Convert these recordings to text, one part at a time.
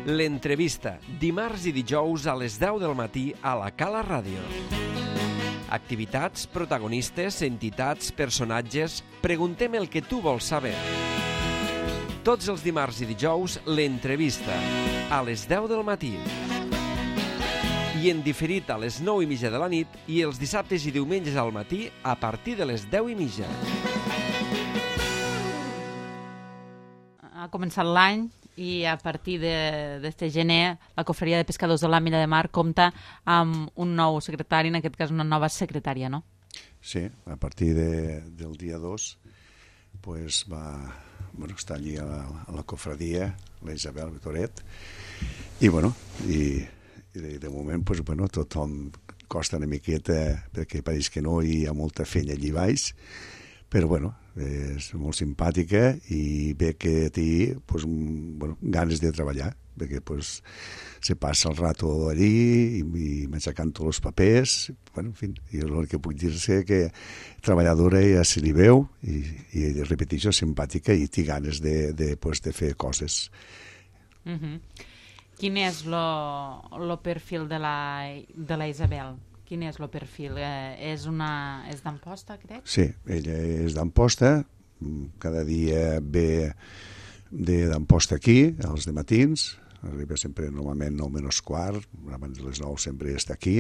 L'entrevista, dimarts i dijous a les 10 del matí a la Cala Ràdio. Activitats, protagonistes, entitats, personatges... Preguntem el que tu vols saber. Tots els dimarts i dijous, l'entrevista, a les 10 del matí. I en diferit a les 9:30 de la nit i els dissabtes i diumenges al matí a partir de les 10:30. Ha començat l'any i a partir d'este gener la Cofreria de Pescadors de l'Àmila de Mar compta amb un nou secretari, en aquest cas una nova secretària, no? Sí, a partir del dia 2 pues està allí a la cofradia, la Isabel Vitoret, i de moment tothom costa una miqueta perquè pareix que no hi ha molta feina allí baix, però és molt simpàtica i ve que té ganes de treballar, perquè se passa el rato allí i m'aixecant tots els papers, en fi, i el que puc dir-se que treballadora ja se li veu i repeteixo, simpàtica i té ganes de fer coses. Quin és el perfil de la Isabel? Quin és el perfil? És d'Amposta, crec? Sí, ella és d'Amposta, cada dia ve d'Amposta aquí, als dematins, arriba sempre normalment 9:15, abans de les 9 sempre està aquí.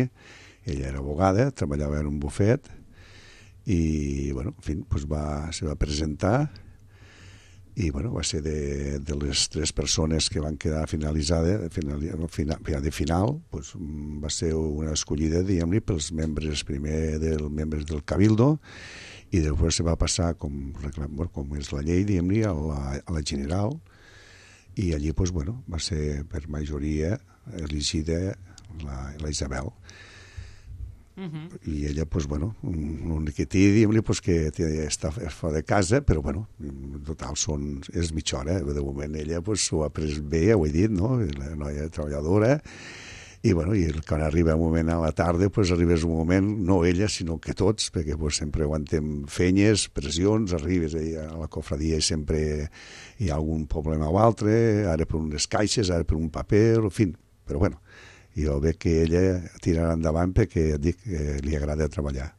Ella era abogada, treballava en un bufet i, se va presentar i, va ser de les 3 persones que van quedar finalitzades, de final, va ser una escollida, diguem-li, pels membres membres del Cabildo, i després se va passar, com és la llei, diguem-li, a la general, i allí, va ser per majoria elegida la Isabel. I ella, l'únic que té, diguem-li, que està fora de casa, però, en total és mitja hora. De moment ella s'ho ha pres bé, ho he dit, no? La noia treballadora, i quan arriba un moment a la tarda, arribes un moment, no ella, sinó que tots, perquè sempre aguantem feines, pressions, arribes a la cofradia i sempre hi ha algun problema o altre, ara per unes caixes, ara per un paper, en fi, però jo veig que ella tirarà endavant perquè dic que li agrada treballar.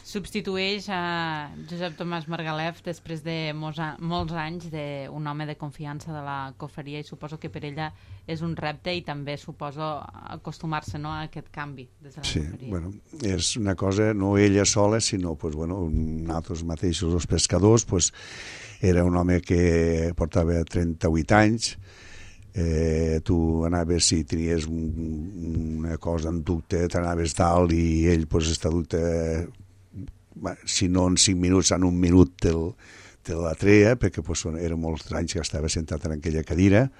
Substitueix a Josep Tomàs Margalef després de molts anys d'un home de confiança de la cofreria, i suposo que per ella és un repte i també suposo acostumar-se a aquest canvi des de la cofreria. Sí, és una cosa, no ella sola, sinó nosaltres mateixos, els pescadors, era un home que portava 38 anys. Tu anaves, si tenies una cosa en dubte, t'anaves dalt i ell està dubte, si no en 5 minuts, en 1 minut te la treia, perquè eren molts anys que estava sentat en aquella cadira.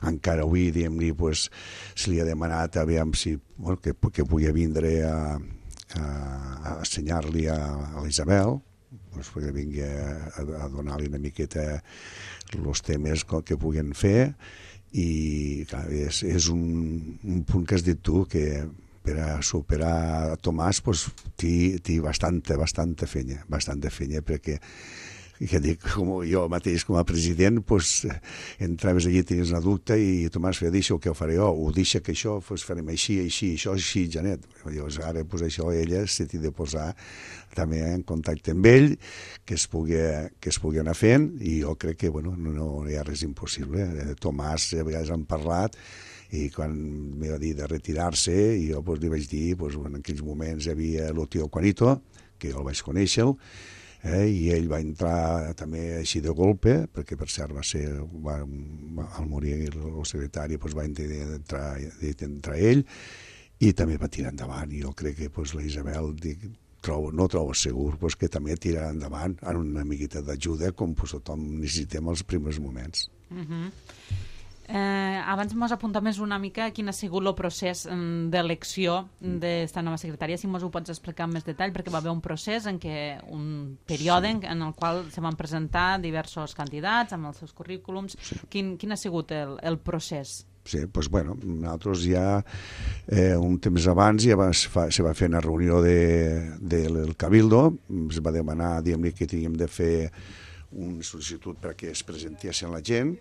Encara avui, diguem-li, se li ha demanat aviam si que pugui vindre a ensenyar-li a l'Isabel, perquè vingui a donar-li una miqueta els temes que puguen fer. I clar, és un punt que has dit tu, que per a superar Tomàs té bastanta feina, perquè com jo mateix com a president entraves allí, tenies una dubte i Tomàs feia, deixa que ho faré jo, ho deixa que això farem així, això, així, Janet. Llavors ara això ella s'ha de posar també en contacte amb ell, que es pugui anar fent, i jo crec que no hi ha res impossible. Tomàs a vegades han parlat, i quan m'hi va dir de retirar-se, i jo li vaig dir, en aquells moments hi havia el tio Juanito, que jo el vaig conèixer, i ell va entrar també així de golpe, perquè per cert al morir el secretari va entrar ell, i també va tirar endavant, i jo crec que la Isabel no trobo segur que també tirarà endavant en una miqueta d'ajuda, com tothom necessitem als primers moments. Abans mos apunta més una mica quin ha sigut el procés d'elecció d'esta nova secretària, si mos ho pots explicar amb més detall, perquè va haver un procés un període en el qual se van presentar diversos candidats amb els seus currículums. Quin ha sigut el procés? Sí, nosaltres ja un temps abans se va fer una reunió del Cabildo, es va demanar, diguem-li, que teníem de fer una sol·licitud perquè es presentessin la gent,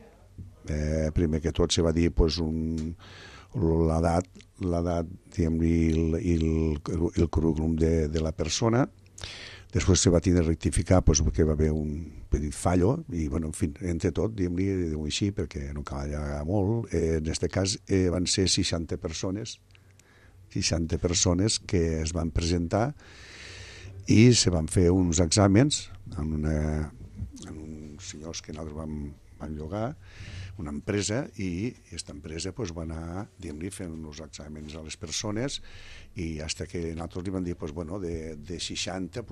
Primer que tot se va dir l'edat, diguem-ne, i el currículum de la persona. Després se va tenir de rectificar perquè va haver un petit fallo i, bueno, en fi, entre tot, diguem-ne, així, perquè no cal allargar molt. En aquest cas van ser 60 persones que es van presentar i se van fer uns exàmens en uns senyors que nosaltres vam llogar, una empresa, i aquesta empresa va anar, diguem-ne, fent uns exàmens a les persones i fins que nosaltres li vam dir, de 60,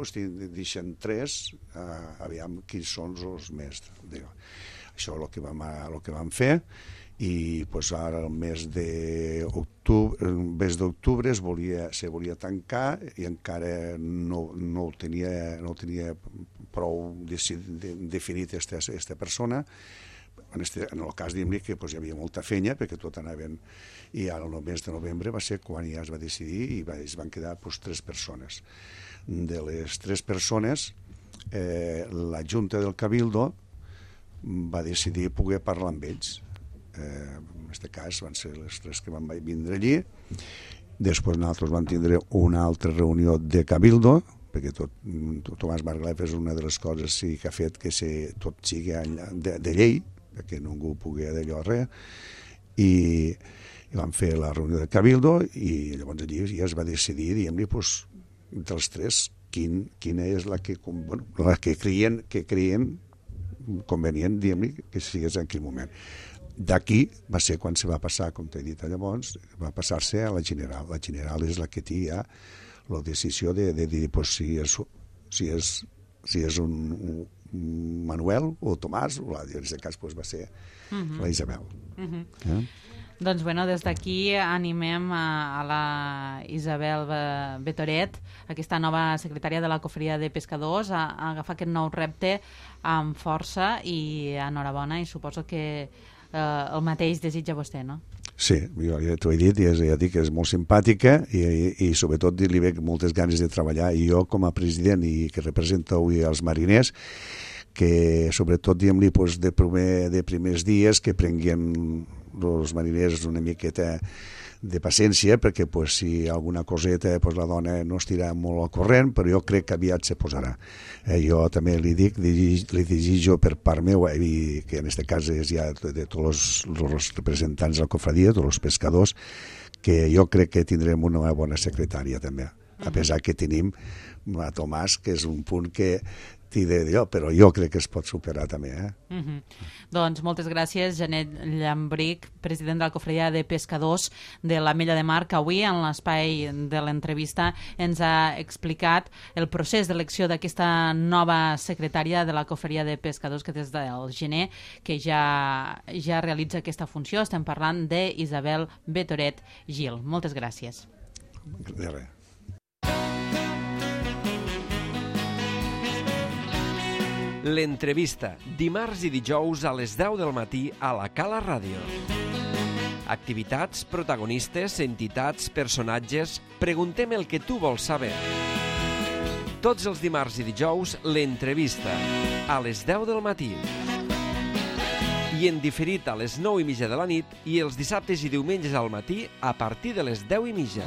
deixen 3, aviam quins són els més. Això és el que vam fer, i ara el mes d'octubre se volia tancar i encara no tenia prou definit aquesta persona. En el cas, diguem-ne, que hi havia molta feina perquè tot anaven, i ara el mes de novembre va ser quan ja es va decidir i es van quedar 3 persones. De les 3 persones, la Junta del Cabildo va decidir poder parlar amb ells. En aquest cas van ser les 3 que van vindre allí. Després nosaltres vam tindre una altra reunió de Cabildo, perquè Tomàs Margalef és una de les coses que ha fet que tot sigui de llei, perquè ningú pugui d'allò res, i vam fer la reunió de Cabildo i llavors allí ja es va decidir, diguem-ne, dels 3, quina és la que creien convenient, diguem-ne, que sigués en aquell moment. D'aquí va ser quan se va passar, com t'he dit llavors, va passar-se a la general. La general és la que té ja la decisió de dir si és un Manuel o Tomàs, o en aquest cas va ser la Isabel. Doncs des d'aquí animem a la Isabel Betoret, aquesta nova secretària de la Cofreria de Pescadors, a agafar aquest nou repte amb força, i enhorabona, i suposo que el mateix desitja vostè, no? Sí, jo ja t'ho he dit, ja dic que és molt simpàtica i sobretot li veig moltes ganes de treballar, i jo com a president i que represento avui els mariners, que sobretot, diguem-li, de primers dies que prenguin els mariners una miqueta de paciència, perquè si alguna coseta la dona no estirà molt al corrent, però jo crec que aviat se posarà. Jo també li desitjo per part meva, i que en aquest cas és ja de tots els representants de la cofradia, tots els pescadors, que jo crec que tindrem una bona secretària també, a pesar que tenim a Tomàs, que és un punt que d'allò, però jo crec que es pot superar també. Doncs moltes gràcies, Janet Llambric, president de la Cofredia de Pescadors de l'Ametlla de Mar, que avui en l'espai de l'entrevista ens ha explicat el procés d'elecció d'aquesta nova secretària de la Cofredia de Pescadors, que des del gener que ja realitza aquesta funció. Estem parlant d'Isabel Betoret Gil. Moltes gràcies. De res. L'entrevista, dimarts i dijous a les 10 del matí a la Cala Ràdio. Activitats, protagonistes, entitats, personatges... Preguntem el que tu vols saber. Tots els dimarts i dijous, l'entrevista, a les 10 del matí. I en diferit a les 9:30 de la nit, i els dissabtes i diumenges al matí a partir de les 10:30.